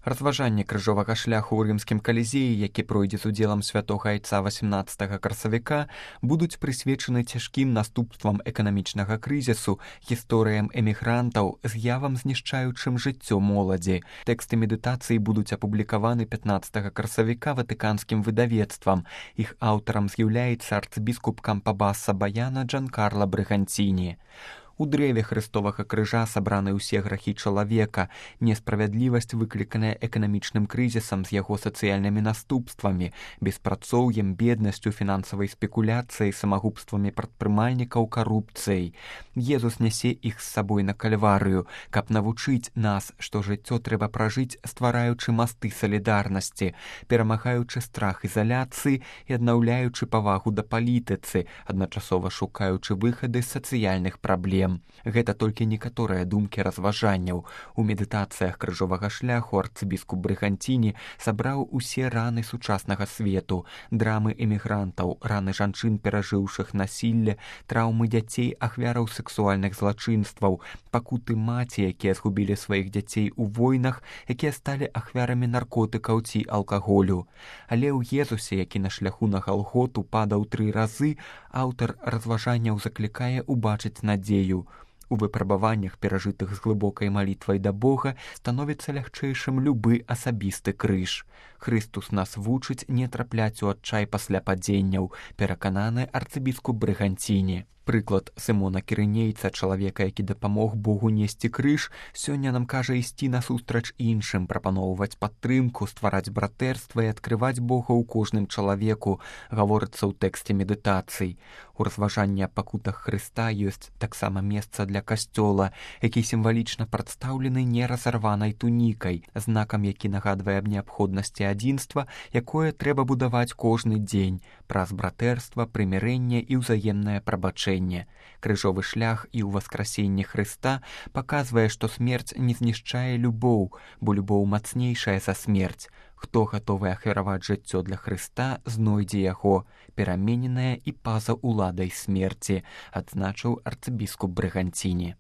Разважанне крыжовага шляху ў рымскім калізеі, які пройдзе з удзелам святога айца 18 красавіка, будуць прысвечаны цяжкім наступствам эканамічнага крызісу, гісторыям эмігрантаў, з'явам знішчаючым жыццё моладзі. Тэксты медытацыі будуць апублікаваны 15 красавіка ватыканскім выдавецтвам. Іх аўтарам з'яўляецца арцыбіскуп Кампабаса Баяна Джанкарла Брыганціні. У дрэве хрыстовага крыжа сабраны ўсе грахі чалавека, несправядлівасць, выкліканая эканамічным крызісам з яго сацыяльнымі наступствамі, беспрацоўем, беднасцю, фінансавай спекуляцыяй, самагубствамі прадпрымальнікаў, карупцыяй. Езус нясе іх з сабой на кальварыю, каб навучыць нас, што жыццё трэба пражыць, ствараючы масты салідарнасці, перамагаючы страх ізаляцыі і аднаўляючы павагу да палітыцы, адначасова шукаючы выхады з сацыяльных праблем. Гэта толькі некаторыя думкі разважанняў. У медытацыях крыжовага шляху арцыбіскуп Брыганціні сабраў усе раны сучаснага свету, драмы эмігрантаў, раны жанчын, перажыўшых насілле, траўмы дзяцей, ахвяраў сексуальных злачынстваў, пакуты маці, якія згубілі сваіх дзяцей у войнах, якія сталі ахвярамі наркотыкаў ці алкаголю. Але ў Езусе, які на шляху на Галготу падаў 3 разы, аўтар разважанняў заклікае убачыць надзею. У выпрабаваннях, перажытых з глыбокай малітвай да Бога, становіцца лягчэйшым любы асабісты крыж. Хрыстус нас вучыць не трапляць у адчай пасля падзенняў, перакананы арцыбіскуп Брыганціні. Прыклад Сымона Кірынейца, чалавека, які дапамог Богу несці крыж, сёння нам кажа ісці насустрач іншым, прапаноўваць падтрымку, ствараць братэрства і адкрываць Бога ў кожным чалавеку, гаворыцца ў тэксце медытацый. У разважанні аб пакутах Хрыста ёсць таксама месца для касцёла, які сімвалічна прадстаўлены неразарванай тунікай, знакам, які нагадвае аб неабходнасці адзінства, якое трэба будаваць кожны дзень, праз братэрства, прымірэнне і ўзаемнае прабачэнне. Крыжовы шлях і ў васкрасенні Хрыста паказвае, што смерць не знішчае любоў, бо любоў мацнейшая за смерць. Хто гатовы ахвяраваць жыццё для Хрыста, знойдзе яго, перамененае і па-за уладай смерці, адзначыў арцыбіскуп Брыганціні.